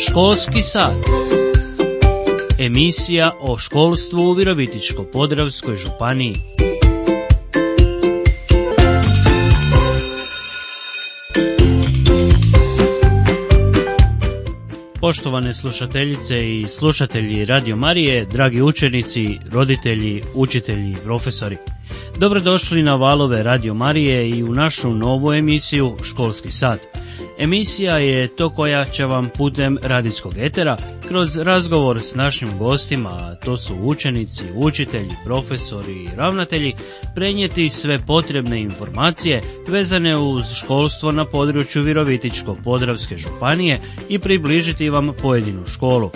Školski sat. Emisija o školstvu u Virovitičko-podravskoj županiji. Poštovane slušateljice i slušatelji Radio Marije, dragi učenici, roditelji, učitelji i profesori. Dobrodošli na valove Radio Marije i u našu novu emisiju Školski sat. Emisija je to koja će vam putem radijskog etera kroz razgovor s našim gostima, a to su učenici, učitelji, profesori i ravnatelji, prenijeti sve potrebne informacije vezane uz školstvo na području Virovitičko-podravske županije i približiti vam pojedinu školu.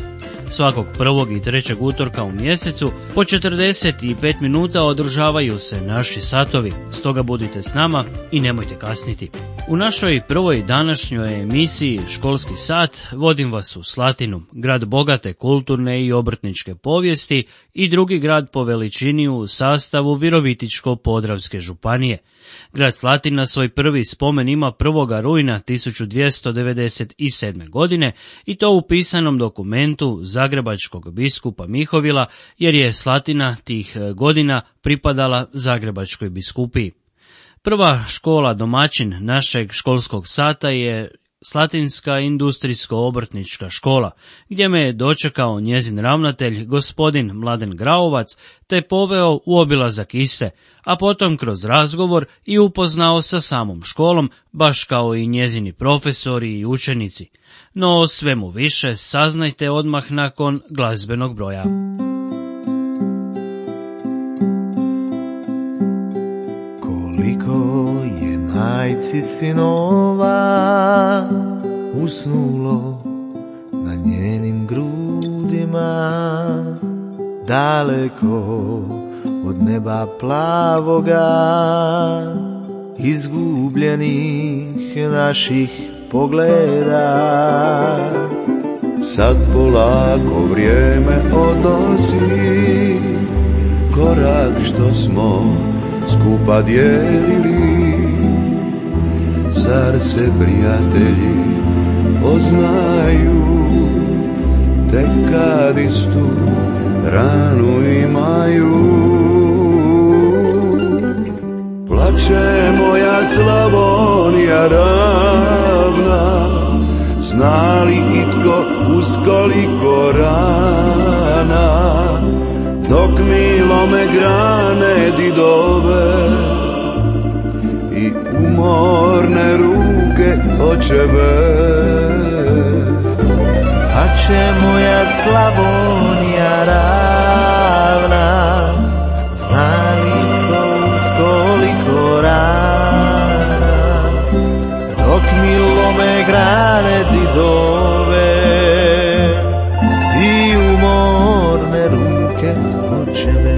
Svakog prvog i trećeg utorka u mjesecu po 45 minuta održavaju se naši satovi, stoga budite s nama i nemojte kasniti. U našoj prvoj današnjoj emisiji Školski sat vodim vas u Slatinu, grad bogate kulturne i obrtničke povijesti i drugi grad po veličini u sastavu Virovitičko-podravske županije. Grad Slatina svoj prvi spomen ima 1. rujna 1297. godine i to u pisanom dokumentu zagrebačkog biskupa Mihovila, jer je Slatina tih godina pripadala Zagrebačkoj biskupiji. Prva škola domaćin našeg školskog sata je Slatinska industrijsko-obrtnička škola, gdje me je dočekao njezin ravnatelj, gospodin Mladen Graovac, te poveo u obilazak iste, a potom kroz razgovor i upoznao sa samom školom, baš kao i njezini profesori i učenici. No o svemu više saznajte odmah nakon glazbenog broja. Koliko je majci sinova usnulo na njenim grudima, daleko od neba plavoga, izgubljenih naših pogleda. Sad polako vrijeme odnosi korak što smo skupa dijelili. Zar se prijatelji poznaju tek kad istu ranu imaju? Plače moja Slavonija ravna, zna li itko uz koliko rana, dok mi lome grane didove i umorne ruke očeve. A će moja Slavonija ravna, zna li to uz koliko rana, dok mi lome grane didove i umorne ruke očeve.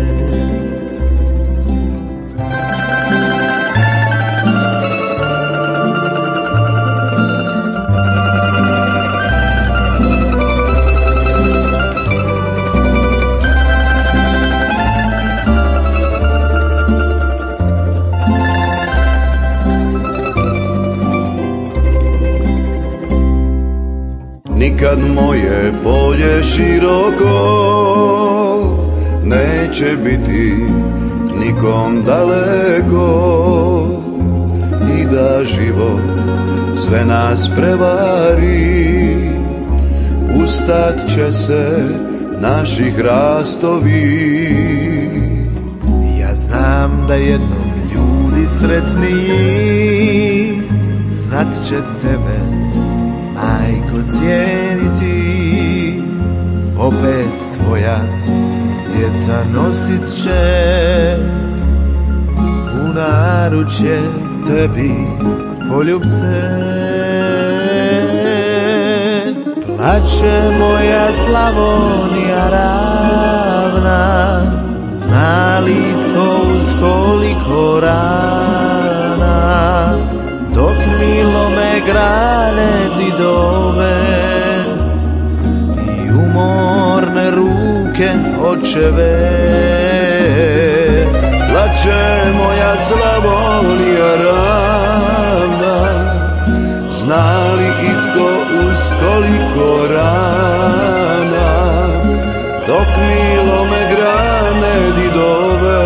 Nikad moje polje široko neće biti nikom daleko, i da život sve nas prevari, ustat će se naši hrastovi. Ja znam da jednom ljudi sretniji znat će tebe, majko, cijeniti. Opet tvoja djeca nosit će u naručje tebi poljubce. Plače moja Slavonija ravna, zna li tko uz koliko rana, dok mi lome grane didove i umorne ruke očeve. Plače moja Slavonija ravna, zna li itko uz s koliko rana, dok milome grane didove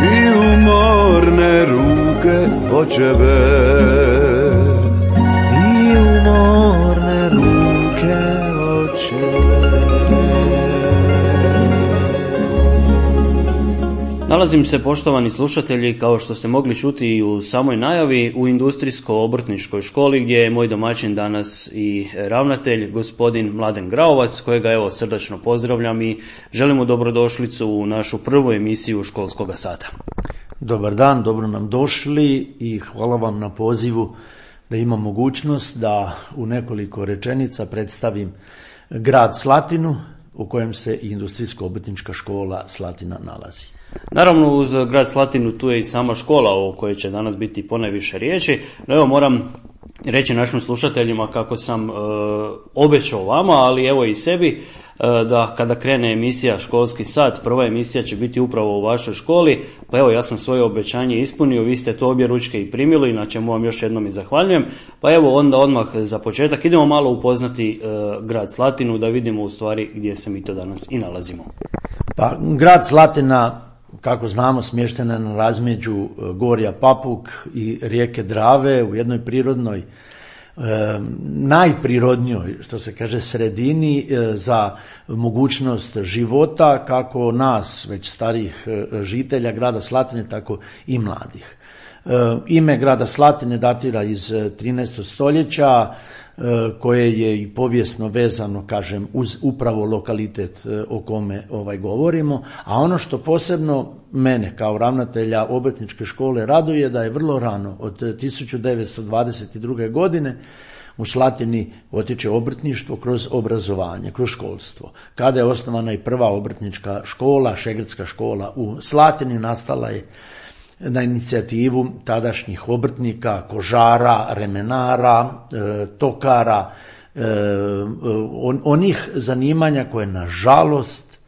i umorne ruke očeve. I umorne ruke očeve. Nalazim se, poštovani slušatelji, kao što ste mogli čuti i u samoj najavi, u Industrijsko-obrtničkoj školi gdje je moj domaćin danas i ravnatelj, gospodin Mladen Graovac, kojega evo srdačno pozdravljam i želimo dobrodošlicu u našu prvu emisiju školskog sata. Dobar dan, dobro nam došli i hvala vam na pozivu da imam mogućnost da u nekoliko rečenica predstavim grad Slatinu u kojem se i Industrijsko-obrtnička škola Slatina nalazi. Naravno, uz grad Slatinu tu je i sama škola o kojoj će danas biti ponajviše riječi. No evo, moram reći našim slušateljima kako sam obećao vama, ali evo i sebi, da kada krene emisija Školski sat, prva emisija će biti upravo u vašoj školi. Pa evo, ja sam svoje obećanje ispunio, vi ste to obje ručke i primili, na čemu vam još jednom i zahvaljujem. Pa evo, onda odmah za početak idemo malo upoznati grad Slatinu, da vidimo u stvari gdje se mi to danas i nalazimo. Pa grad Slatina, kako znamo, smještena na razmeđu gorja Papuk i rijeke Drave u jednoj prirodnoj, najprirodnijoj, što se kaže, sredini za mogućnost života kako nas, već starih žitelja grada Slatine, tako i mladih. Ime grada Slatine datira iz 13. stoljeća, koje je i povijesno vezano, kažem, uz upravo lokalitet o kome govorimo, a ono što posebno mene kao ravnatelja obrtničke škole raduje da je vrlo rano, od 1922. godine, u Slatini potiče obrtništvo kroz obrazovanje, kroz školstvo. Kada je osnovana i prva obrtnička škola, šegrdska škola u Slatini, nastala je na inicijativu tadašnjih obrtnika, kožara, remenara, tokara, onih zanimanja koje nažalost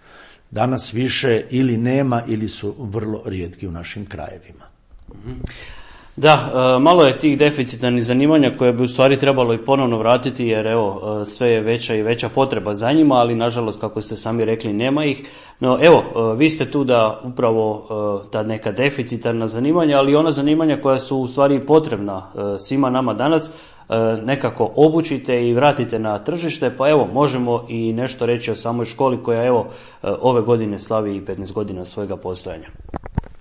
danas više ili nema ili su vrlo rijetki u našim krajevima. Da, malo je tih deficitarnih zanimanja koje bi u stvari trebalo i ponovno vratiti, jer evo, sve je veća i veća potreba za njima, ali nažalost, kako ste sami rekli, nema ih. No evo, vi ste tu da upravo ta neka deficitarna zanimanja, ali ona zanimanja koja su u stvari potrebna svima nama danas, nekako obučite i vratite na tržište. Pa evo, možemo i nešto reći o samoj školi koja evo ove godine slavi i 15 godina svojega postojanja.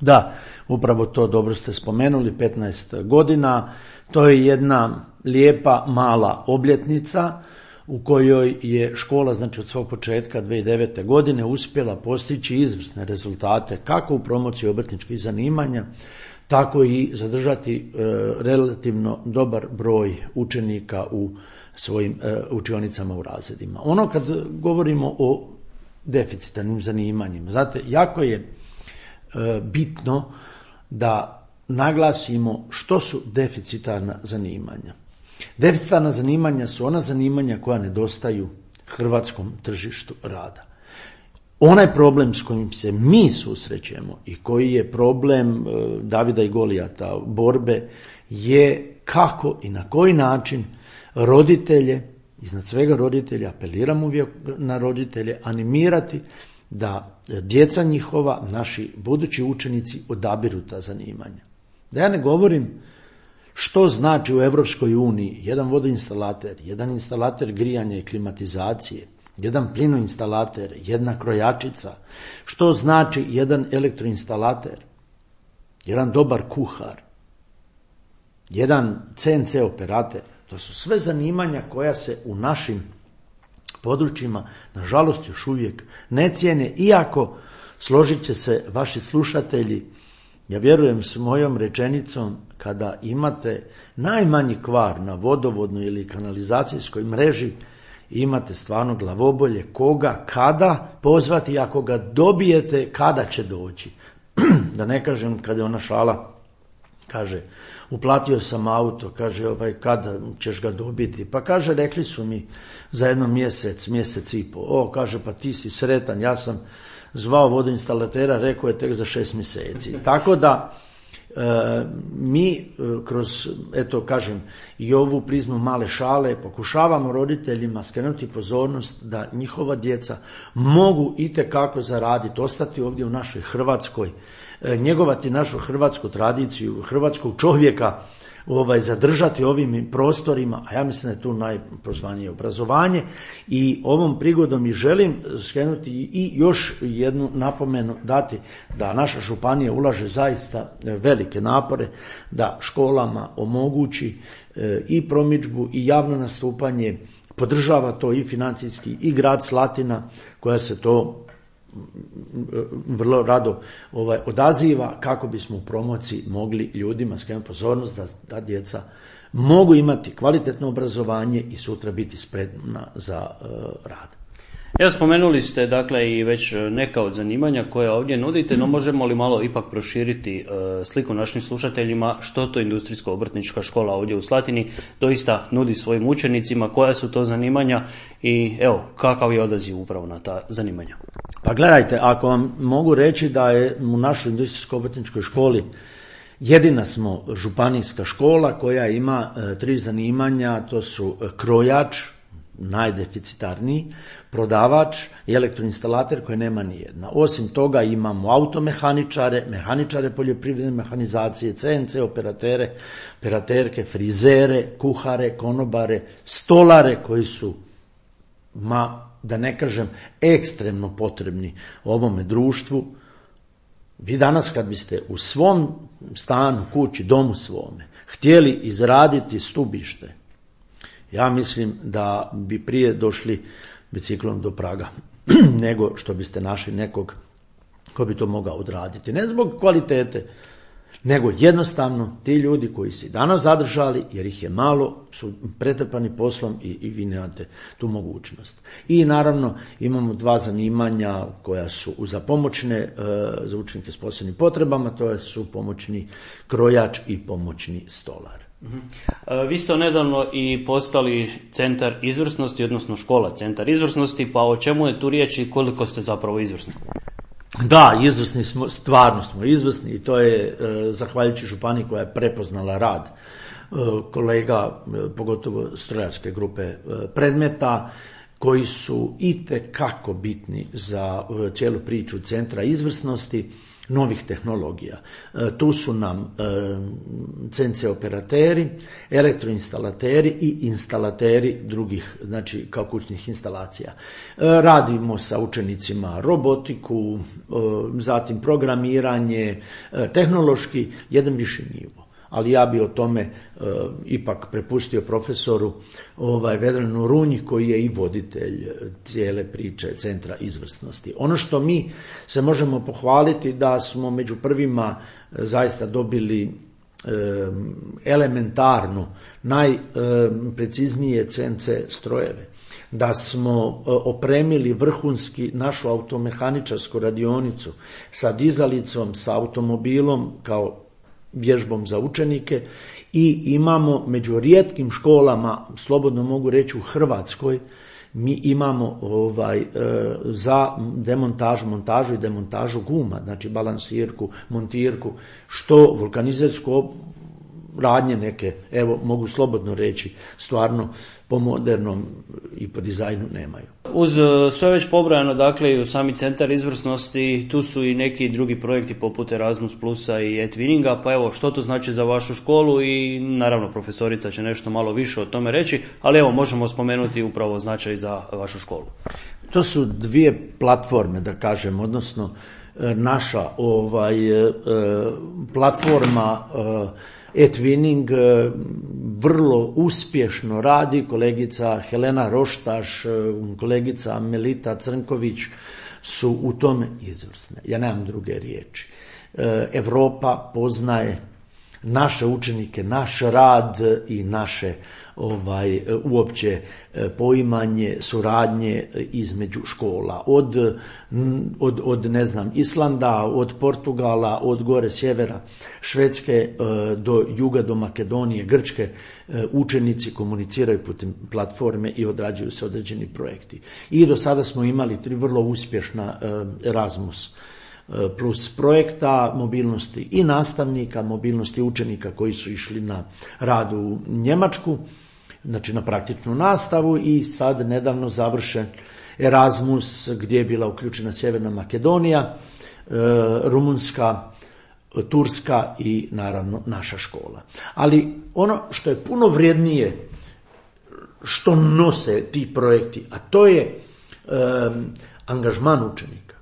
Da, upravo to dobro ste spomenuli, 15 godina. To je jedna lijepa mala obljetnica u kojoj je škola, znači od svog početka 2009. godine, uspjela postići izvrsne rezultate kako u promociji obrtničkih zanimanja, tako i zadržati relativno dobar broj učenika u svojim učionicama u razredima. Ono kad govorimo o deficitarnim zanimanjima, znate, jako je bitno da naglasimo što su deficitarna zanimanja. Deficitarna zanimanja su ona zanimanja koja nedostaju hrvatskom tržištu rada. Onaj problem s kojim se mi susrećemo i koji je problem Davida i Golijata borbe je kako i na koji način roditelje, iznad svega roditelje, apeliram uvijek na roditelje, animirati da djeca njihova, naši budući učenici, odabiru ta zanimanja. Da ja ne govorim što znači u Europskoj uniji jedan vodoinstalater, jedan instalater grijanja i klimatizacije, jedan plinoinstalater, jedna krojačica, što znači jedan elektroinstalater, jedan dobar kuhar, jedan CNC operater. To su sve zanimanja koja se u našim područjima, nažalost, još uvijek ne cijene, iako, složit će se vaši slušatelji, ja vjerujem s mojom rečenicom, kada imate najmanji kvar na vodovodnoj ili kanalizacijskoj mreži, imate stvarno glavobolje koga, kada pozvati, ako ga dobijete, kada će doći. Da ne kažem kada je ona šala, kaže, uplatio sam auto, kaže, kada ćeš ga dobiti? Pa kaže, rekli su mi za jedno mjesec i pol. Kaže, pa ti si sretan, ja sam zvao vodoinstalatera, rekao je tek za 6 mjeseci. Tako da Mi kroz, eto kažem, i ovu prizmu male šale pokušavamo roditeljima skrenuti pozornost da njihova djeca mogu itekako zaraditi, ostati ovdje u našoj Hrvatskoj, njegovati našu hrvatsku tradiciju, hrvatskog čovjeka, zadržati ovim prostorima, a ja mislim da je tu najpozvanije obrazovanje. I ovom prigodom i želim skrenuti i još jednu napomenu dati da naša županija ulaže zaista velike napore da školama omogući i promidžbu i javno nastupanje, podržava to i financijski i grad Slatina koja se to vrlo rado odaziva kako bismo u promociji mogli ljudima skrenuti pozornost da djeca mogu imati kvalitetno obrazovanje i sutra biti spremna za rad. Evo, spomenuli ste dakle i već neka od zanimanja koja ovdje nudite, no možemo li malo ipak proširiti sliku našim slušateljima što to industrijsko-obrtnička škola ovdje u Slatini doista nudi svojim učenicima, koja su to zanimanja i evo kakav je odaziv upravo na ta zanimanja? Pa gledajte, ako vam mogu reći da je u našoj industrijsko-obrtničkoj školi jedina smo županijska škola koja ima 3 zanimanja, to su krojač, najdeficitarniji, prodavač i elektroinstalater koje nema ni jedna. Osim toga imamo automehaničare, mehaničare poljoprivredne mehanizacije, CNC operatere, operaterke, frizere, kuhare, konobare, stolare koji su, da ne kažem, ekstremno potrebni ovome društvu. Vi danas kad biste u svom stanu, kući, domu svome htjeli izraditi stubište, ja mislim da bi prije došli biciklom do praga nego što biste našli nekog ko bi to mogao odraditi. Ne zbog kvalitete, nego jednostavno ti ljudi koji si danas zadržali, jer ih je malo, su pretrpani poslom i vi nemate tu mogućnost. I naravno imamo 2 zanimanja koja su za pomoćne, za učenike s posebnim potrebama, to su pomoćni krojač i pomoćni stolar. Vi ste nedavno i postali centar izvrsnosti, odnosno škola centar izvrsnosti, pa o čemu je tu riječ i koliko ste zapravo izvrsni? Da, izvrsni smo, stvarno smo izvrsni i to je zahvaljujući županiji koja je prepoznala rad kolega, pogotovo strojarske grupe predmeta, koji su itekako bitni za cijelu priču centra izvrsnosti, novih tehnologija. Tu su nam CNC operateri, elektroinstalateri i instalateri drugih, znači kao kućnih instalacija. Radimo sa učenicima robotiku, zatim programiranje, tehnološki jedan viši nivo. Ali ja bi o tome ipak prepustio profesoru Vedranu Runji koji je i voditelj cijele priče centra izvrsnosti. Ono što mi se možemo pohvaliti da smo među prvima zaista dobili elementarno najpreciznije CNC strojeve, da smo opremili vrhunski našu automehaničarsku radionicu sa dizalicom, sa automobilom kao vježbom za učenike i imamo među rijetkim školama, slobodno mogu reći u Hrvatskoj, mi imamo za demontažu, montažu i demontažu guma, znači balansirku, montirku, što vulkanizersku radnje neke, evo mogu slobodno reći, stvarno po modernom i po dizajnu nemaju. Uz sve već pobrojano, dakle i u sami centar izvrsnosti, tu su i neki drugi projekti poput Erasmus Plusa i e-twinninga, pa evo što to znači za vašu školu i naravno profesorica će nešto malo više o tome reći, ali evo možemo spomenuti upravo značaj za vašu školu. To su 2 platforme, da kažem, odnosno naša platforma e-twinning vrlo uspješno radi, kolegica Helena Roštaš, kolegica Melita Crnković su u tome izvrsne. Ja nemam druge riječi. Europa poznaje naše učenike, naš rad i naše uopće poimanje suradnje između škola. Od ne znam, Islanda, od Portugala, od gore sjevera Švedske do juga, do Makedonije, Grčke, učenici komuniciraju putem platforme i odrađuju se određeni projekti. I do sada smo imali 3 vrlo uspješna Erasmus plus projekta, mobilnosti i nastavnika, mobilnosti učenika koji su išli na rad u Njemačku, znači na praktičnu nastavu, i sad nedavno završen Erasmus gdje je bila uključena Sjeverna Makedonija, Rumunjska, Turska i naravno naša škola. Ali ono što je puno vrijednije što nose ti projekti, a to je angažman učenika,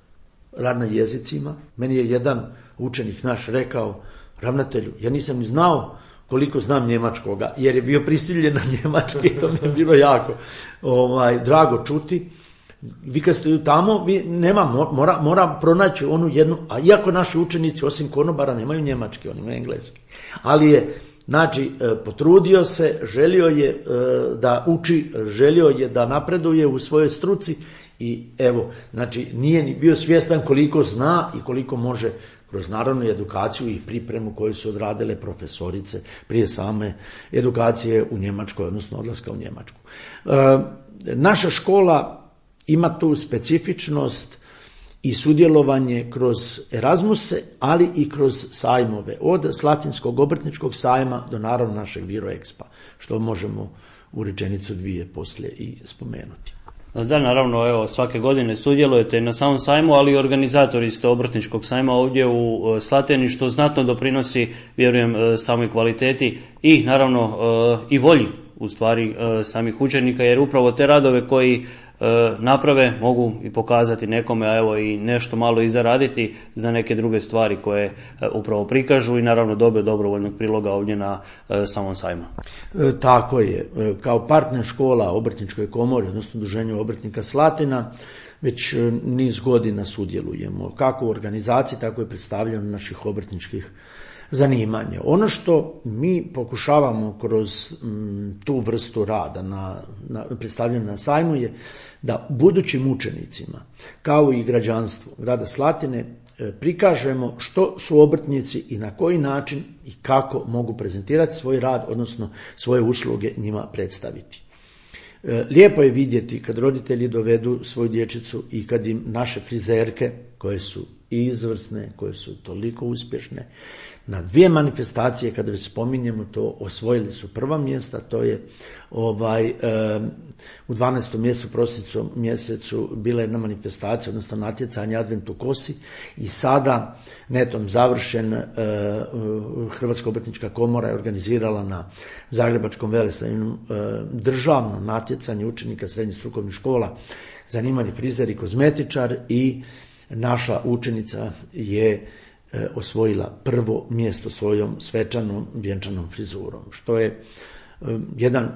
rad na jezicima. Meni je jedan učenik naš rekao: ravnatelju, ja nisam ni znao koliko znam njemačkoga, jer je bio prisiljen na njemački, to mi je bilo jako drago čuti. Vi kad ste tamo, mora pronaći onu jednu, a iako naši učenici osim konobara nemaju njemački, oni imaju engleski. Ali je, znači, potrudio se, želio je da uči, želio je da napreduje u svojoj struci i evo, znači, nije ni bio svjestan koliko zna i koliko može kroz naravno edukaciju i pripremu koju su odradile profesorice prije same edukacije u Njemačkoj, odnosno odlaska u Njemačku. Naša škola ima tu specifičnost i sudjelovanje kroz Erasmuse, ali i kroz sajmove, od Slatinskog obrtničkog sajma do naravno našeg Viroexpa, što možemo u rečenicu dvije poslije i spomenuti. Da, naravno, evo, svake godine sudjelujete na samom sajmu, ali i organizatori ste obrtničkog sajma ovdje u Slatini, što znatno doprinosi, vjerujem, samoj kvaliteti i naravno i volji u stvari samih učenika, jer upravo te radove koji naprave mogu i pokazati nekome, a evo i nešto malo i zaraditi za neke druge stvari koje upravo prikažu i naravno dobe dobrovoljnog priloga ovdje na samom sajmu. Tako je. Kao partner škola Obrtničkoj komori, odnosno Udruženju obrtnika Slatina, već niz godina sudjelujemo kako u organizaciji, tako i predstavljanju naših obrtničkih zanimanja. Ono što mi pokušavamo kroz tu vrstu rada na predstavljanju na sajmu je da budućim učenicima, kao i građanstvu grada Slatine, prikažemo što su obrtnici i na koji način i kako mogu prezentirati svoj rad, odnosno svoje usluge njima predstaviti. Lijepo je vidjeti kad roditelji dovedu svoju dječicu i kad im naše frizerke, koje su izvrsne, koje su toliko uspješne, na 2 manifestacije, kada već spominjemo to, osvojili su prva mjesta. To je u 12. mjesecu, prosincu mjesecu, bila jedna manifestacija, odnosno natjecanje Advent u kosi, i sada netom završen Hrvatska obrtnička komora je organizirala na Zagrebačkom velesajmu državno natjecanje učenika srednjih strukovnih škola, zanimanje frizer i kozmetičar, i naša učenica je osvojila prvo mjesto svojom svečanom vjenčanom frizurom, što je jedan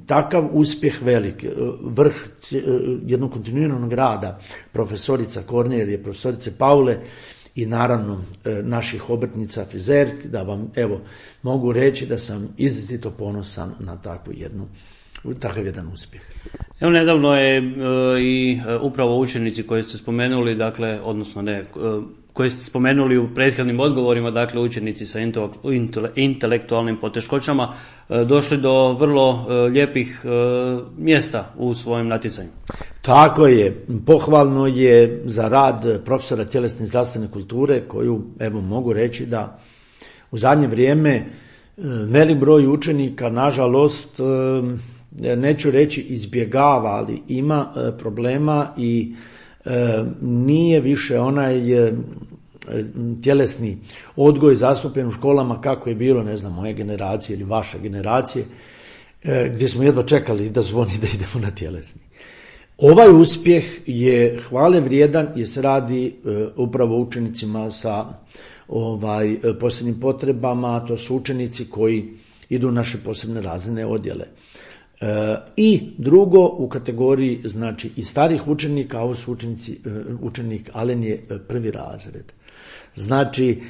takav uspjeh velik, vrh jednog kontinuiranog rada profesorica Kornelije, profesorice Paule i naravno naših obrtnica frizerki, da vam evo mogu reći da sam izrazito ponosan na takav jedan uspjeh. Evo, nedavno je i upravo učenici koji ste spomenuli, dakle, odnosno ne, koje ste spomenuli u prethodnim odgovorima, dakle učenici sa intelektualnim poteškoćama, došli do vrlo lijepih mjesta u svojim natjecanju. Tako je, pohvalno je za rad profesora tjelesne i zdravstvene kulture, koju evo mogu reći da u zadnje vrijeme velik broj učenika, nažalost, neću reći izbjegava, ali ima problema i nije više onaj tjelesni odgoj zastupljen u školama kako je bilo, ne znam, moje generacije ili vaše generacije, gdje smo jedva čekali da zvoni da idemo na tjelesni. Ovaj uspjeh je hvale vrijedan jer se radi upravo učenicima sa posebnim potrebama, to su učenici koji idu u naše posebne razredne odjele. I drugo, u kategoriji znači i starih učenika, ovo su učenik Alen je 1. razred. Znači,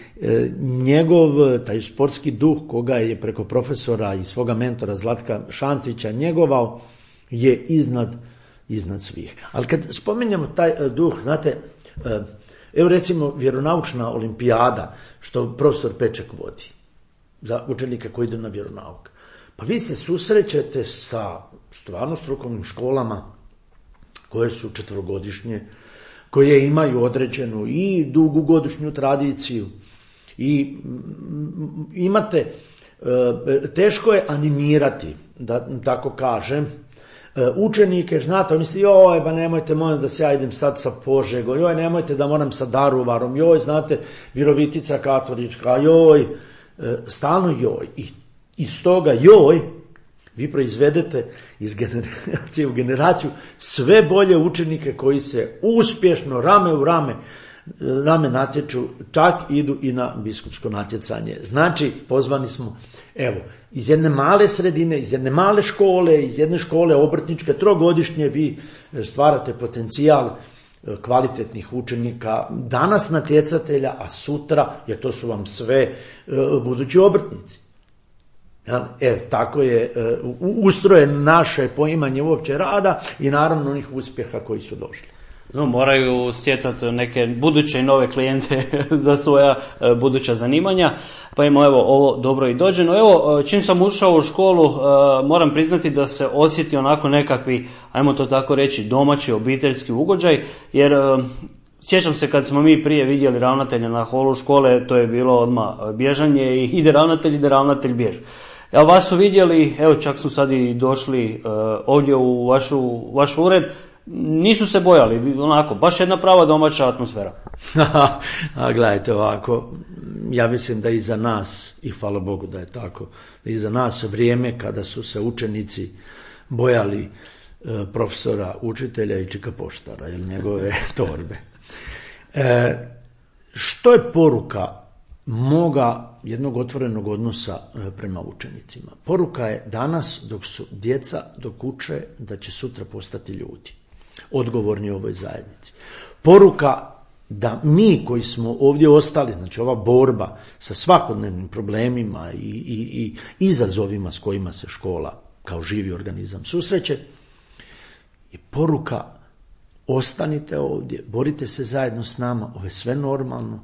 njegov taj sportski duh koga je preko profesora i svoga mentora Zlatka Šantića njegovao je iznad svih. Ali kad spominjemo taj duh, znate, evo recimo vjeronaučna olimpijada što profesor Peček vodi za učenike koji idu na vjeronauk. Pa vi se susrećete sa stvarno strukovnim školama koje su 4-godišnje, koje imaju određenu i dugogodišnju tradiciju i imate, teško je animirati, da tako kažem, učenike, znate, oni misle, joj, ba nemojte, molim da se ja idem sad sa Požegom, joj, nemojte da moram sa Daruvarom, joj, znate, Virovitica katolička, joj, stalno joj. I iz toga joj, vi proizvedete iz generacije u generaciju sve bolje učenike koji se uspješno, rame u rame natječu, čak idu i na biskupsko natjecanje. Znači, pozvani smo, evo, iz jedne male sredine, iz jedne male škole, iz jedne škole obrtničke, trogodišnje, vi stvarate potencijal kvalitetnih učenika, danas natjecatelja, a sutra, jer to su vam sve budući obrtnici. Tako je ustrojen naše poimanje uopće rada i naravno onih uspjeha koji su došli. No, moraju stjecati neke buduće i nove klijente za svoja buduća zanimanja, pa evo ovo dobro i dođeno. Evo, čim sam ušao u školu, moram priznati da se osjeti onako nekakvi, ajmo to tako reći, domaći obiteljski ugođaj, jer sjećam se kad smo mi prije vidjeli ravnatelja na holu škole, to je bilo odmah bježanje i ide ravnatelj, bjež. Evo, vas su vidjeli, evo čak su sad i došli ovdje u vaš ured, nisu se bojali, onako, baš jedna prava domaća atmosfera. A gledajte ovako, ja mislim da iza nas, i hvala Bogu da je tako, da iza nas vrijeme kada su se učenici bojali profesora, učitelja i čika poštara, ili njegove torbe. Što je poruka moga jednog otvorenog odnosa prema učenicima? Poruka je danas, dok su djeca, dok uče, da će sutra postati ljudi, odgovorni u ovoj zajednici. Poruka da mi koji smo ovdje ostali, znači ova borba sa svakodnevnim problemima i izazovima s kojima se škola kao živi organizam susreće, je poruka: ostanite ovdje, borite se zajedno s nama, ovo je sve normalno.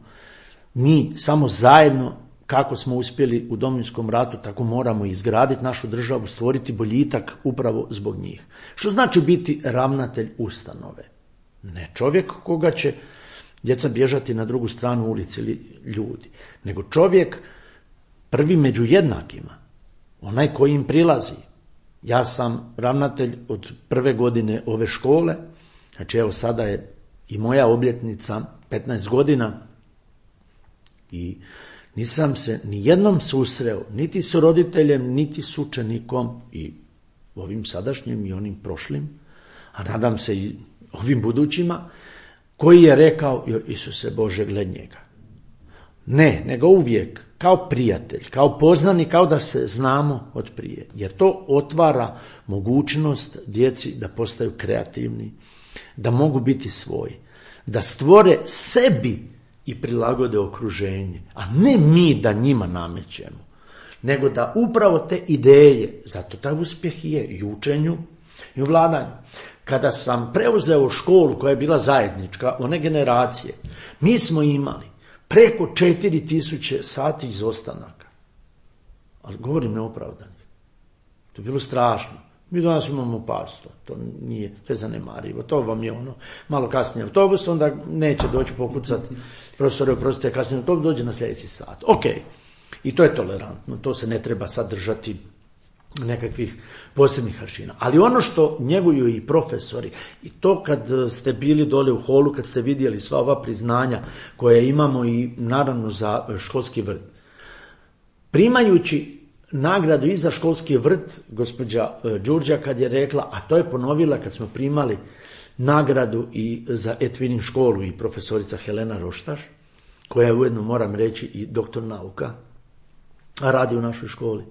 Mi samo zajedno, kako smo uspjeli u Domovinskom ratu, tako moramo izgraditi našu državu, stvoriti boljitak upravo zbog njih. Što znači biti ravnatelj ustanove? Ne čovjek koga će djeca bježati na drugu stranu ulici ili ljudi, nego čovjek prvi među jednakima, onaj koji im prilazi. Ja sam ravnatelj od prve godine ove škole, znači evo sada je i moja obljetnica 15 godina i nisam se ni jednom susreo, niti s roditeljem, niti s učenikom, i ovim sadašnjim i onim prošlim, a nadam se i ovim budućima, koji je rekao: Isuse Bože, gled njega. Ne, nego uvijek kao prijatelj, kao poznanik, kao da se znamo od prije. Jer to otvara mogućnost djeci da postaju kreativni, da mogu biti svoji, da stvore sebi i prilagode okruženje, a ne mi da njima namećemo, nego da upravo te ideje, zato taj uspjeh je i u učenju i u vladanju. Kada sam preuzeo školu koja je bila zajednička, one generacije, mi smo imali preko 4000 sati izostanaka. Ali govorim neopravdano. To je bilo strašno. Mi danas imamo par sto, to je zanemarivo. To vam je ono, malo kasnije autobus, onda neće doći pokucati, profesore, oprostite, kasnije autobus, dođe na sljedeći sat. Ok, i to je tolerantno, to se ne treba sad držati nekakvih posebnih aršina. Ali ono što njeguju i profesori, i to kad ste bili dole u holu, kad ste vidjeli sva ova priznanja koje imamo i naravno za školski vrt, primajući nagradu i za školski vrt, gospođa Đurđa kad je rekla, a to je ponovila kad smo primali nagradu i za Etvinin školu, i profesorica Helena Roštaš, koja je ujedno, moram reći, i doktor nauka, a radi u našoj školi.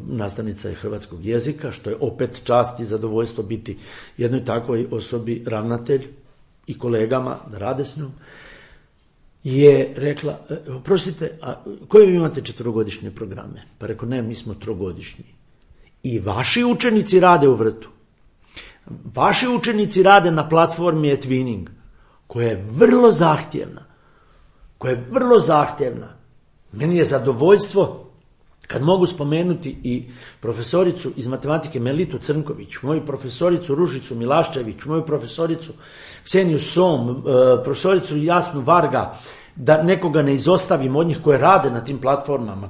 Nastavnica je hrvatskog jezika, što je opet čast i zadovoljstvo biti jednoj takvoj osobi ravnatelj i kolegama da rade s njom, je rekla: oprostite, a koje vi imate 4-godišnje programe? Pa rekao: ne, mi smo 3-godišnji. I vaši učenici rade u vrtu. Vaši učenici rade na platformi eTwinning, koja je vrlo zahtjevna. Meni je zadovoljstvo Kad mogu spomenuti i profesoricu iz matematike Melitu Crnković, moju profesoricu Ružicu Milaščević, moju profesoricu Kseniju Som, profesoricu Jasnu Varga, da nekoga ne izostavim od njih koje rade na tim platformama,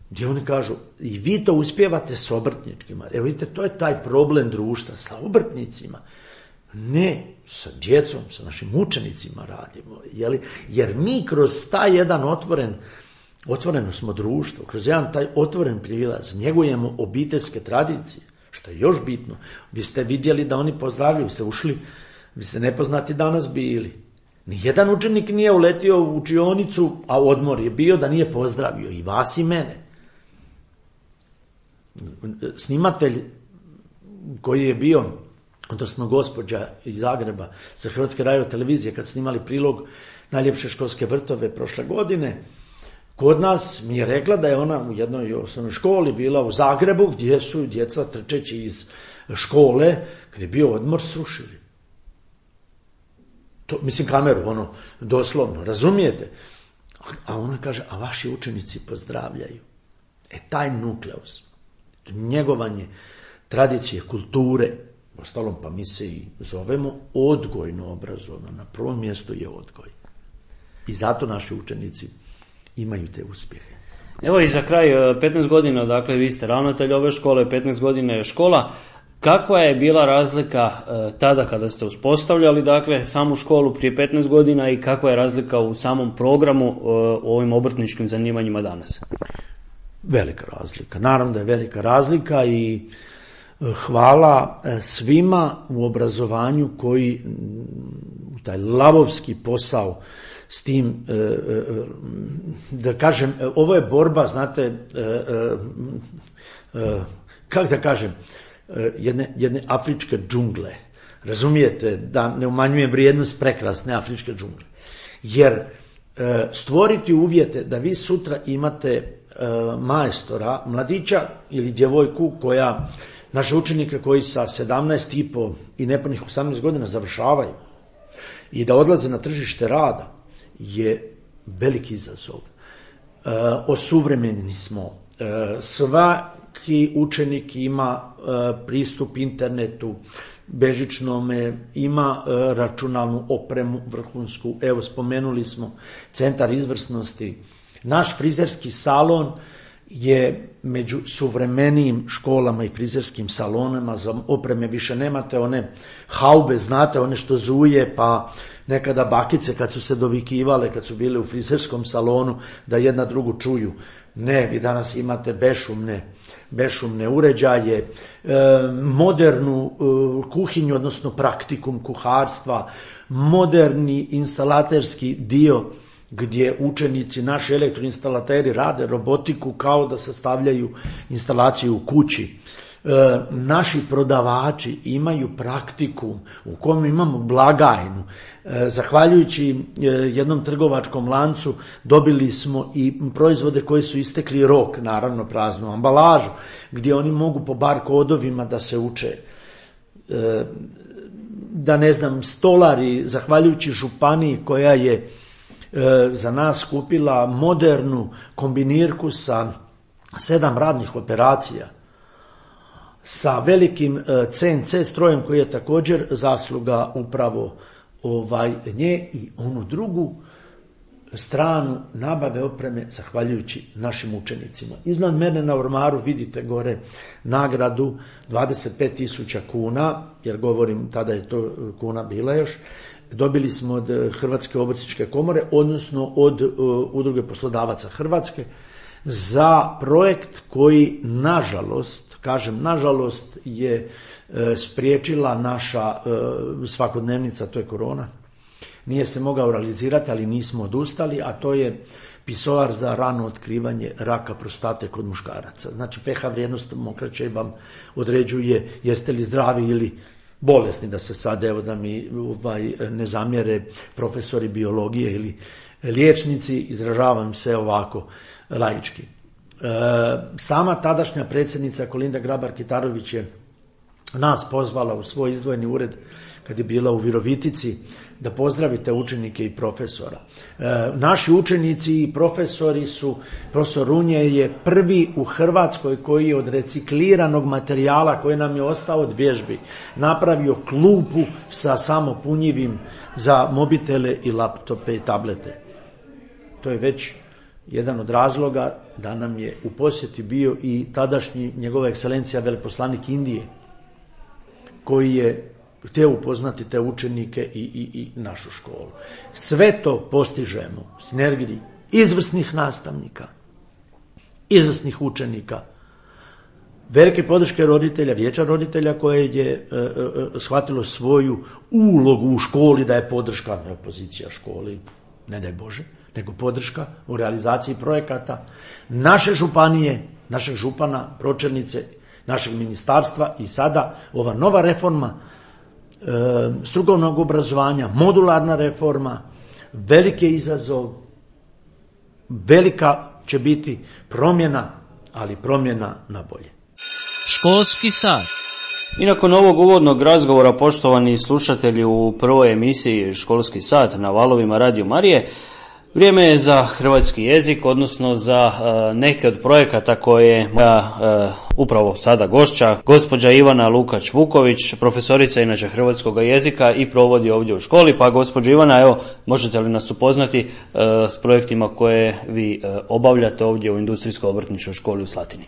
gdje oni kažu, i vi to uspijevate s obrtničkima. Evo vidite, to je taj problem društva, sa obrtnicima. Ne, sa djecom, sa našim učenicima radimo. Jer mi kroz taj jedan otvoreno smo društvo, kroz jedan taj otvoren prilaz, njegujemo obiteljske tradicije, što je još bitno. Vi ste vidjeli da oni pozdravljaju, vi ste ušli, vi ste nepoznati danas bili. Nijedan učenik nije uletio u učionicu, a odmor je bio da nije pozdravio i vas i mene. Snimatelj koji je bio, odnosno gospođa iz Zagreba za Hrvatske radiotelevizije, kad su snimali prilog Najljepše školske vrtove prošle godine, kod nas mi je rekla da je ona u jednoj osnovnoj školi bila u Zagrebu, gdje su djeca trčeći iz škole, gdje je bio odmor, srušili. To, mislim, kameru, doslovno, razumijete? A ona kaže, a vaši učenici pozdravljaju. Taj nukleus, njegovanje tradicije, kulture, ostalom pa mi se i zovemo odgojno obrazovno, na prvom mjestu je odgoj. I zato naši učenici imaju te uspjehe. Evo i za kraj, 15 godina, dakle vi ste ravnatelj ove škole, 15 godina je škola. Kakva je bila razlika tada kada ste uspostavljali, dakle, samu školu prije 15 godina i kakva je razlika u samom programu u ovim obrtničkim zanimanjima danas? Velika razlika. Naravno da je velika razlika i hvala svima u obrazovanju koji taj lavovski posao s tim, da kažem, ovo je borba, znate, kako da kažem, jedne afričke džungle. Razumijete, da ne umanjujem vrijednost prekrasne afričke džungle. Jer stvoriti uvjete da vi sutra imate majstora, mladića ili djevojku koja, naše učenike koji sa 17,5 i nepunih 18 godina završavaju i da odlaze na tržište rada je veliki izazov. Osuvremeni smo. Svaki učenik ima pristup internetu, bežičnome, ima računalnu opremu vrhunsku. Evo, spomenuli smo centar izvrsnosti. Naš frizerski salon je među suvremenijim školama i frizerskim salonama. Za opreme više nemate one haube, znate, one što zuje, pa nekada bakice kad su se dovikivale, kad su bile u frizerskom salonu, da jedna drugu čuju. Ne, vi danas imate bešumne uređaje, modernu kuhinju, odnosno praktikum kuharstva, moderni instalaterski dio gdje učenici, naši elektroinstalateri rade robotiku kao da sastavljaju instalaciju u kući. Naši prodavači imaju praktikum u kojem imamo blagajnu. Zahvaljujući jednom trgovačkom lancu dobili smo i proizvode koji su istekli rok, naravno praznu ambalažu, gdje oni mogu po bar kodovima da se uče. Da ne znam, stolari, zahvaljujući županiji koja je za nas kupila modernu kombinirku sa 7 radnih operacija, sa velikim CNC strojem koji je također zasluga upravo nje, i onu drugu stranu nabave opreme zahvaljujući našim učenicima. Iznad mene na ormaru vidite gore nagradu 25.000 kuna, jer govorim, tada je to kuna bila još, dobili smo od Hrvatske obrtničke komore, odnosno od Udruge poslodavaca Hrvatske, za projekt koji, nažalost, kažem nažalost, je spriječila naša svakodnevnica, to je korona. Nije se mogao realizirati, ali nismo odustali, a to je pisoar za rano otkrivanje raka prostate kod muškaraca. Znači, pH vrijednost mokraće vam određuje jeste li zdravi ili bolesni, da se sad, evo, da mi ne zamjere profesori biologije ili liječnici, izražavam se ovako laički. Sama tadašnja predsjednica Kolinda Grabar-Kitarović je nas pozvala u svoj izdvojeni ured kad je bila u Virovitici da pozdravite učenike i profesora. Naši učenici i profesori su, profesor Runje je prvi u Hrvatskoj koji je od recikliranog materijala koji nam je ostao od vježbi napravio klupu sa samopunjivim za mobitele i laptope i tablete. To je već jedan od razloga da nam je u posjeti bio i tadašnji njegova ekscelencija veleposlanik Indije, koji je htio upoznati te učenike i našu školu. Sve to postižemo u sinergiji izvrsnih nastavnika, izvrsnih učenika, velike podrške roditelja, vijeća roditelja koje je shvatilo svoju ulogu u školi da je podrška, ne opozicija školi, ne daj Bože, nego podrška u realizaciji projekata naše županije, našeg župana, pročelnice, našeg ministarstva i sada ova nova reforma strukovnog obrazovanja, modularna reforma, veliki je izazov, velika će biti promjena, ali promjena na bolje. Školski sat. I nakon ovog uvodnog razgovora, poštovani slušatelji, u prvoj emisiji Školski sat na valovima Radio Marije, vrijeme je za hrvatski jezik, odnosno za neke od projekata koje upravo sada gošća, gospođa Ivana Lukač-Vuković, profesorica inače hrvatskog jezika i provodi ovdje u školi. Pa gospođo Ivana, evo, možete li nas upoznati s projektima koje vi obavljate ovdje u Industrijsko-obrtničkoj školi u Slatini?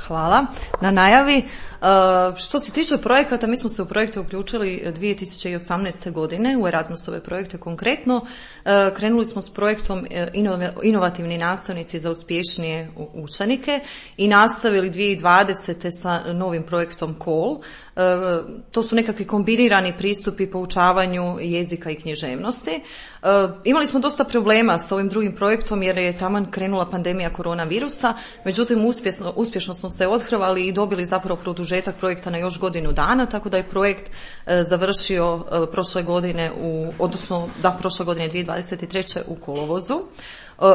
Hvala na najavi. Što se tiče projekata, mi smo se u projekte uključili 2018. godine, u Erasmusove projekte konkretno. Krenuli smo s projektom Inovativni nastavnici za uspješnije učenike i nastavili 2020. sa novim projektom COL. To su nekakvi kombinirani pristupi poučavanju jezika i književnosti. Imali smo dosta problema s ovim drugim projektom jer je taman krenula pandemija koronavirusa, međutim uspješno smo se othrvali i dobili zapravo produžetak projekta na još godinu dana, tako da je projekt završio prošle godine prošle godine 2023. u kolovozu.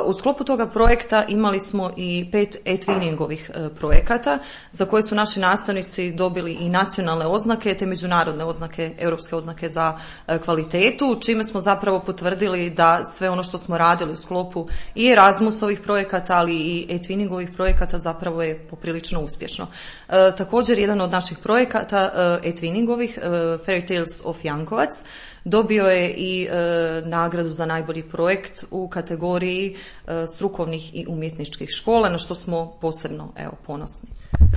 U sklopu toga projekta imali smo i 5 e-twinningovih projekata za koje su naši nastavnici dobili i nacionalne oznake te međunarodne oznake, europske oznake za kvalitetu, čime smo zapravo potvrdili da sve ono što smo radili u sklopu i Erasmusovih projekata, ali i e-twinningovih projekata zapravo je poprilično uspješno. Također, jedan od naših projekata e-twinningovih, Fairy Tales of Jankovac, dobio je i nagradu za najbolji projekt u kategoriji strukovnih i umjetničkih škola, na što smo posebno ponosni.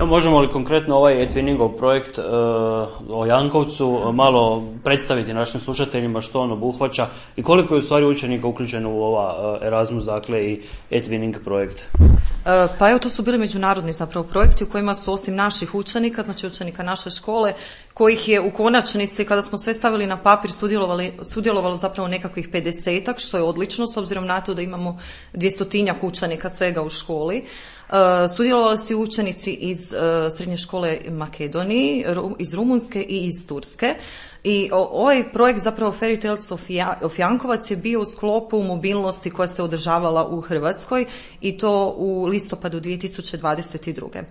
Možemo li konkretno ovaj e-twinningov projekt o Jankovcu malo predstaviti našim slušateljima što on obuhvaća i koliko je u stvari učenika uključeno u ova Erasmus, dakle i e-twinning projekt? Pa evo, to su bili međunarodni zapravo projekti u kojima su osim naših učenika, znači učenika naše škole, kojih je u konačnici, kada smo sve stavili na papir, sudjelovalo zapravo nekakvih 50-ak, što je odlično s obzirom na to da imamo 200-tinjak učenika svega u školi. Sudjelovali su učenici iz srednje škole Makedoniji, iz Rumunjske i iz Turske. I ovaj projekt, zapravo Fairy Tales of Jankovac, je bio u sklopu mobilnosti koja se održavala u Hrvatskoj i to u listopadu 2022.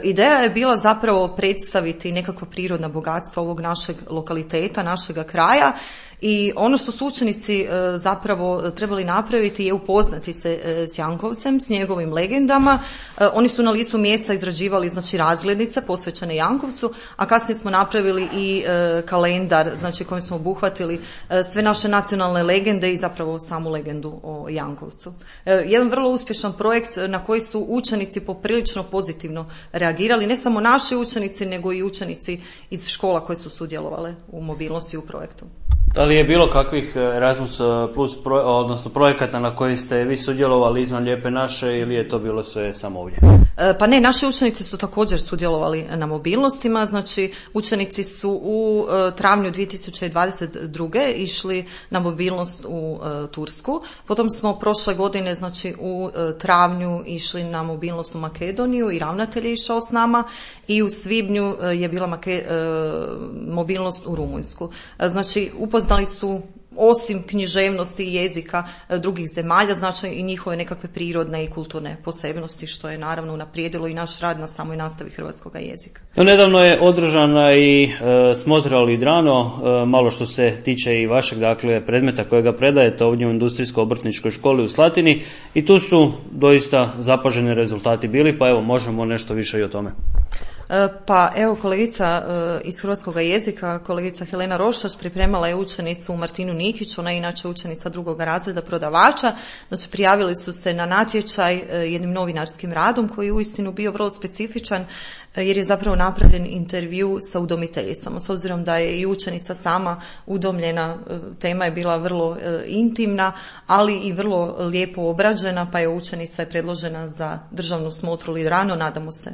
Ideja je bila zapravo predstaviti nekakva prirodna bogatstva ovog našeg lokaliteta, našega kraja. I ono što su učenici zapravo trebali napraviti je upoznati se s Jankovcem, s njegovim legendama. Oni su na licu mjesta izrađivali znači razglednice posvećene Jankovcu, a kasnije smo napravili i kalendar, znači kojim smo obuhvatili sve naše nacionalne legende i zapravo samu legendu o Jankovcu. Jedan vrlo uspješan projekt na koji su učenici poprilično pozitivno reagirali, ne samo naši učenici, nego i učenici iz škola koje su sudjelovale u mobilnosti u projektu. Da li je bilo kakvih Erasmus plus odnosno projekata na koji ste vi sudjelovali izvan Lijepe naše ili je to bilo sve samo ovdje? Pa ne, naši učenici su također sudjelovali na mobilnostima, znači učenici su u travnju 2022. išli na mobilnost u Tursku, potom smo prošle godine znači u travnju išli na mobilnost u Makedoniju i ravnatelj je išao s nama i u svibnju je bila mobilnost u Rumunjsku. Znači upoznali su osim književnosti i jezika drugih zemalja, znači i njihove nekakve prirodne i kulturne posebnosti, što je naravno unaprijedilo i naš rad na samoj nastavi hrvatskog jezika. Nedavno je održana i smotra Lidrano, malo što se tiče i vašeg dakle predmeta kojega predajete ovdje u Industrijsko-obrtničkoj školi u Slatini, i tu su doista zapaženi rezultati bili, pa evo možemo nešto više i o tome. Pa evo, kolegica iz hrvatskog jezika, kolegica Helena Rošaš, pripremala je učenicu Martinu Nikić, ona je inače učenica 2. razreda prodavača. Znači, prijavili su se na natječaj jednim novinarskim radom koji je uistinu bio vrlo specifičan, jer je zapravo napravljen intervju sa udomiteljicom. S obzirom da je i učenica sama udomljena, tema je bila vrlo intimna, ali i vrlo lijepo obrađena, pa je učenica je predložena za državnu smotru Lidrano. Nadamo se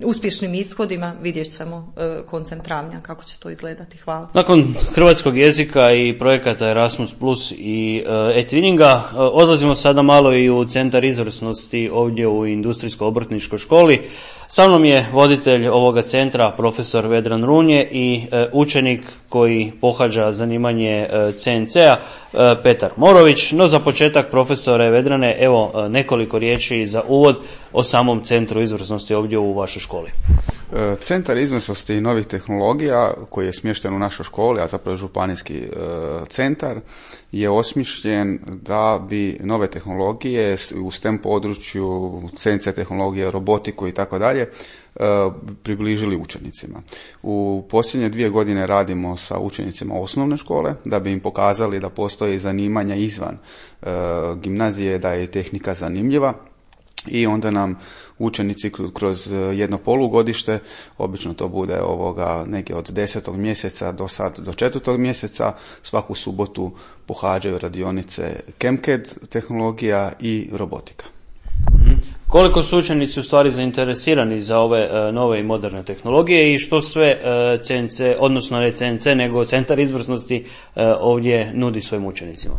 uspješnim ishodima, vidjet ćemo koncem travnja kako će to izgledati. Hvala. Nakon hrvatskog jezika i projekata Erasmus Plus i e-twinninga, odlazimo sada malo i u centar izvrsnosti ovdje u Industrijsko-obrtničkoj školi. Sa mnom je voditelj ovoga centra, profesor Vedran Runje, i učenik koji pohađa zanimanje CNC-a, Petar Morović. No za početak, profesore Vedrane, evo nekoliko riječi za uvod o samom centru izvrsnosti ovdje u vašoj školi. Centar izvrsnosti i novih tehnologija koji je smješten u našoj školi, a zapravo županijski centar, je osmišljen da bi nove tehnologije u STEM području, CNC tehnologije, robotiku i tako dalje približili učenicima. U posljednje 2 godine radimo sa učenicima osnovne škole da bi im pokazali da postoje zanimanja izvan gimnazije, da je tehnika zanimljiva. I onda nam učenici kroz jedno polugodište, obično to bude neke od 10. mjeseca do 4. mjeseca, svaku subotu pohađaju radionice ChemCAD tehnologija i robotika. Koliko su učenici u stvari zainteresirani za ove nove i moderne tehnologije i što sve CNC, odnosno ne CNC, nego Centar izvrsnosti ovdje nudi svojim učenicima?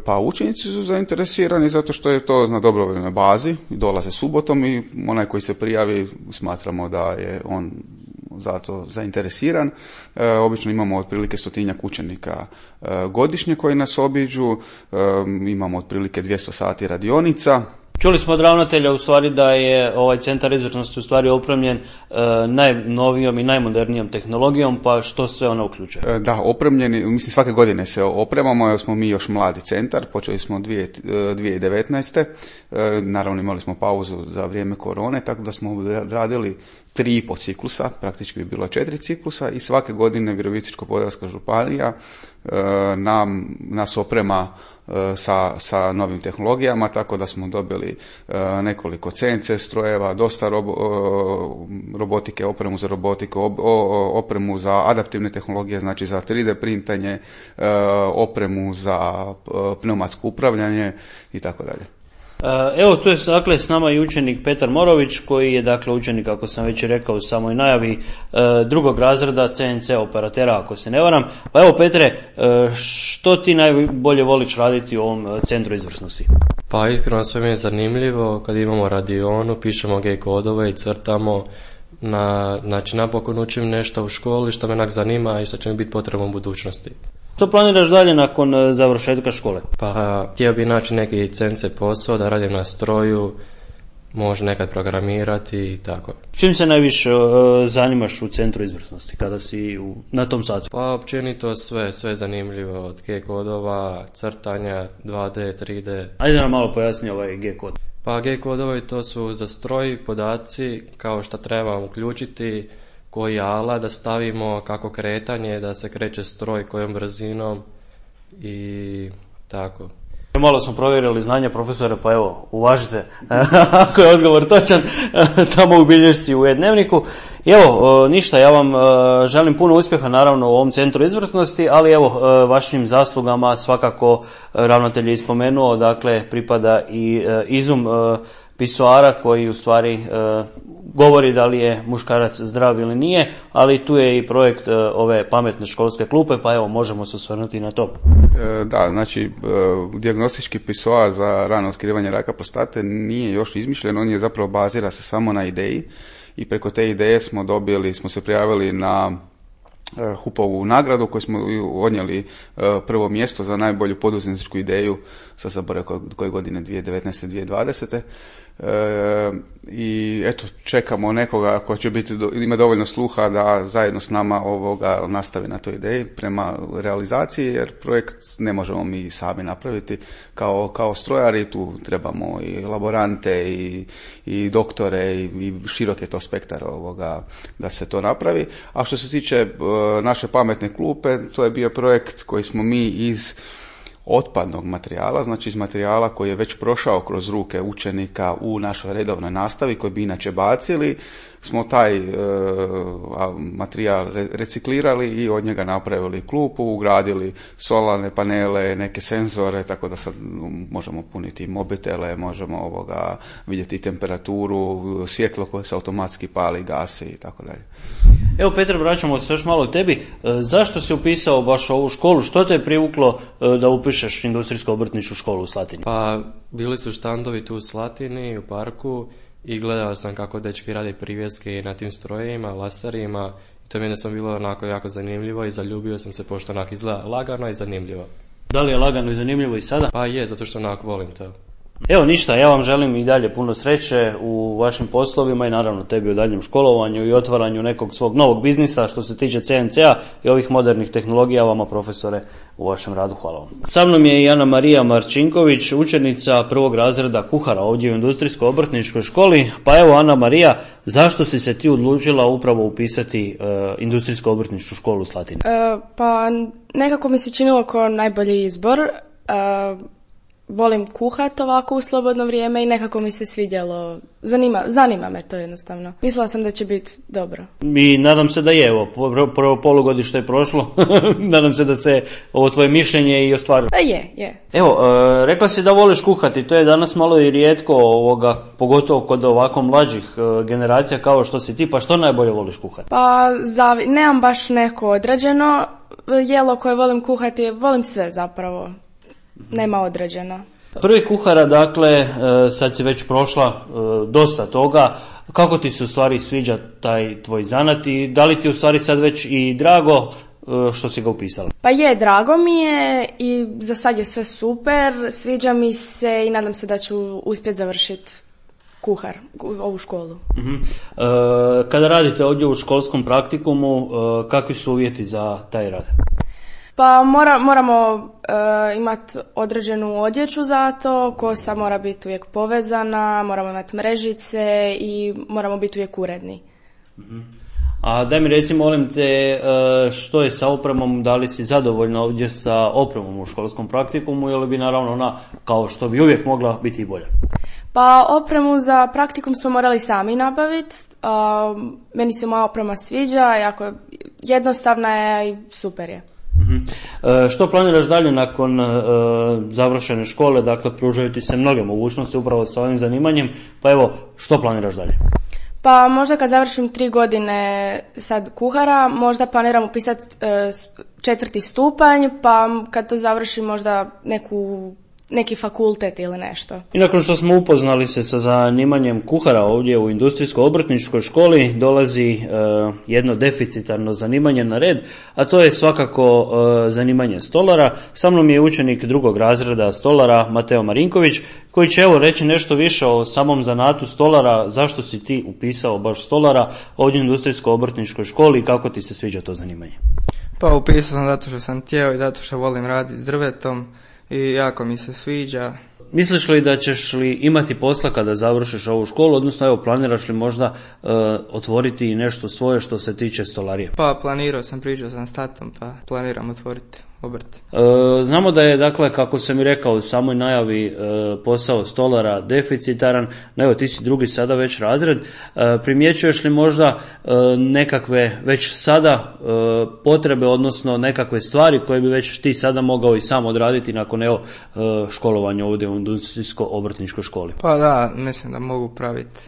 Pa učenici su zainteresirani zato što je to na dobrovoljnoj bazi, dolaze subotom i onaj koji se prijavi smatramo da je on zato zainteresiran. Obično imamo otprilike 100 učenika godišnje koji nas obiđu, imamo otprilike 200 sati radionica. Čuli smo od ravnatelja u stvari da je ovaj centar izvrsnosti u stvari opremljen najnovijom i najmodernijom tehnologijom, pa što sve ona uključuje? Da, opremljeni, mislim svake godine se opremamo, jer smo mi još mladi centar, počeli smo 2019. Naravno imali smo pauzu za vrijeme korone, tako da smo radili 3,5 ciklusa, praktički bi bilo 4 ciklusa i svake godine Virovitičko-podravska županija nas oprema sa novim tehnologijama, tako da smo dobili nekoliko CNC strojeva, dosta robotike, opremu za robotiku, opremu za adaptivne tehnologije, znači za 3D printanje, opremu za pneumatsko upravljanje i tako dalje. Evo, tu je dakle s nama i učenik Petar Morović, koji je dakle učenik, kako sam već rekao u samoj najavi, 2. razreda CNC operatera, ako se ne varam. Pa evo Petre, što ti najbolje voliš raditi u ovom centru izvrsnosti? Pa iskreno sve mi je zanimljivo, kad imamo radionu, pišemo G-kodove i crtamo. Znači napokon učim nešto u školi što me onak zanima i što će mi biti potrebno u budućnosti. Što planiraš dalje nakon završetka škole? Pa htio bi naći neki CNC posao, da radim na stroju, može nekad programirati i tako. Čim se najviše zanimaš u centru izvrsnosti kada si na tom satu? Pa općenito sve zanimljivo, od G-kodova, crtanja, 2D, 3D. Ajde nam malo pojasni ovaj G-kod. Pa G-kodovi to su za stroj podaci kao što treba uključiti, koji alat da stavimo, kako kretanje, da se kreće stroj kojom brzinom i tako. Malo smo provjerili znanja profesora, pa evo, uvažite ako je odgovor točan, tamo u bilješci u e-dnevniku. I evo, ništa, ja vam želim puno uspjeha naravno u ovom centru izvrsnosti, ali evo, vašim zaslugama svakako ravnatelj je ispomenuo, dakle, pripada i izum pisoara koji u stvari govori da li je muškarac zdrav ili nije, ali tu je i projekt ove pametne školske klupe, pa evo možemo se osvrnuti na to. Da, znači dijagnostički pisoar za rano otkrivanje raka prostate nije još izmišljen, on je zapravo bazira se samo na ideji i preko te ideje smo se prijavili na HUP-ovu nagradu koju smo odnijeli prvo mjesto za najbolju poduzetničku ideju, sad zaboravim koje godine, 2019. 2020. I eto, čekamo nekoga ko će ima dovoljno sluha da zajedno s nama nastavi na toj ideji prema realizaciji, jer projekt ne možemo mi sami napraviti kao strojari, tu trebamo i laborante i doktore i širok je to spektar da se to napravi. A što se tiče naše pametne klupe, to je bio projekt koji smo mi iz otpadnog materijala, znači iz materijala koji je već prošao kroz ruke učenika u našoj redovnoj nastavi, koji bi inače bacili, smo taj materijal reciklirali i od njega napravili klupu, ugradili solarne panele, neke senzore, tako da sad možemo puniti mobitele, možemo vidjeti temperaturu, svjetlo koje se automatski pali, gasi i tako dalje. Evo Petar, vraćamo se još malo tebi. Zašto si upisao baš ovu školu? Što te je privuklo da upišeš industrijsko-obrtničku školu u Slatini? Pa bili su štandovi tu u Slatini, u parku, i gledao sam kako dečki rade privjeske na tim strojevima, laserima, i to mi je bilo onako jako zanimljivo i zaljubio sam se, pošto onako izgleda lagano i zanimljivo. Da li je lagano i zanimljivo i sada? Pa je, zato što onako volim to. Evo ništa, ja vam želim i dalje puno sreće u vašim poslovima i naravno tebi u daljem školovanju i otvaranju nekog svog novog biznisa što se tiče CNC-a i ovih modernih tehnologija, vama profesore u vašem radu. Hvala vam. Sa mnom je i Ana Marija Marčinković, učenica prvog razreda kuhara ovdje u Industrijsko-obrtničkoj školi. Pa evo Ana Marija, zašto si se ti odlučila upravo upisati Industrijsko-obrtničku školu u Slatini? Pa nekako mi se činilo kao najbolji izbor. Volim kuhat ovako u slobodno vrijeme i nekako mi se svidjelo, zanima me to jednostavno. Mislila sam da će biti dobro. I nadam se da je, evo, prvo polugodište je prošlo, nadam se da se ovo tvoje mišljenje i ostvarilo. Je. Evo, rekla si da voliš kuhati, to je danas malo i rijetko pogotovo kod ovako mlađih generacija kao što si ti, pa što najbolje voliš kuhati? Pa nemam baš neko određeno, jelo koje volim kuhati, volim sve zapravo. Nema određeno. Prvi kuhara, dakle, sad si već prošla dosta toga. Kako ti se u stvari sviđa taj tvoj zanat i da li ti u stvari sad već i drago što si ga upisala? Pa je, drago mi je i za sad je sve super, sviđa mi se i nadam se da ću uspjeti završiti kuhar, ovu školu. Uh-huh. Kada radite ovdje u školskom praktikumu, kakvi su uvjeti za taj rad? Pa moramo imati određenu odjeću za to, kosa mora biti uvijek povezana, moramo imati mrežice i moramo biti uvijek uredni. Uh-huh. A daj mi reci, molim te, što je sa opremom, da li si zadovoljna ovdje sa opremom u školskom praktikumu ili bi naravno ona, kao što bi uvijek mogla, biti i bolja? Pa opremu za praktikum smo morali sami nabaviti, meni se moja oprema sviđa, jako jednostavna je i super je. Uh-huh. Što planiraš dalje nakon završene škole, dakle pružaju ti se mnoge mogućnosti upravo sa ovim zanimanjem, pa evo, što planiraš dalje? Pa možda kad završim 3 godine sad kuhara, možda planiram upisati 4. stupanj, pa kad to završim možda neki fakultet ili nešto. I nakon što smo upoznali se sa zanimanjem kuhara ovdje u Industrijsko-obrtničkoj školi, dolazi jedno deficitarno zanimanje na red, a to je svakako zanimanje stolara. Sa mnom je učenik drugog razreda stolara Mateo Marinković, koji će evo reći nešto više o samom zanatu stolara, zašto si ti upisao baš stolara ovdje u Industrijsko-obrtničkoj školi i kako ti se sviđa to zanimanje? Pa upisao sam zato što sam htio i zato što volim raditi s drvetom i jako mi se sviđa. Misliš li da ćeš li imati posla kada završiš ovu školu, odnosno evo planiraš li možda otvoriti nešto svoje što se tiče stolarije? Pa planirao sam, pričao sam s tatom, pa planiram otvoriti obrt. Znamo da je, dakle, kako sam i rekao u samoj najavi, posao stolara deficitaran, no evo ti si drugi sada već razred, primjećuješ li možda nekakve već sada potrebe, odnosno nekakve stvari koje bi već ti sada mogao i sam odraditi nakon evo školovanja ovdje u Industrijsko-obrtničkoj školi? Pa da, mislim da mogu praviti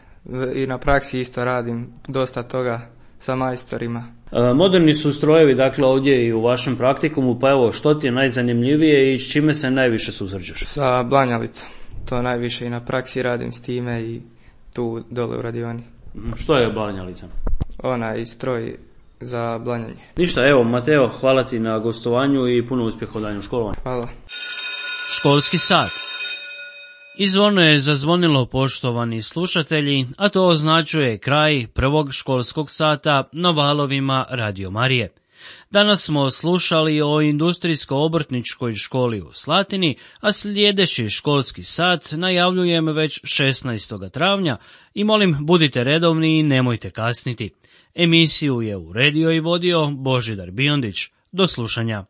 i na praksi isto radim dosta toga sa majstorima. Moderni su strojevi, dakle, ovdje i u vašem praktikumu, pa evo, što ti je najzanimljivije i s čime se najviše susrećeš? Sa blanjalicom, to najviše i na praksi radim s time i tu dole u radioni. Što je blanjalica? Onaj stroj za Blanjanje. Ništa, evo Mateo, hvala ti na gostovanju i puno uspjeha u daljnjem školovanju. Hvala. Školski sat. I zvono je zazvonilo, poštovani slušatelji, a to označuje kraj prvog školskog sata na valovima Radio Marije. Danas smo slušali o industrijsko-obrtničkoj školi u Slatini, a sljedeći školski sat najavljujem već 16. travnja i molim budite redovni i nemojte kasniti. Emisiju je uredio i vodio Božidar Biondić. Do slušanja.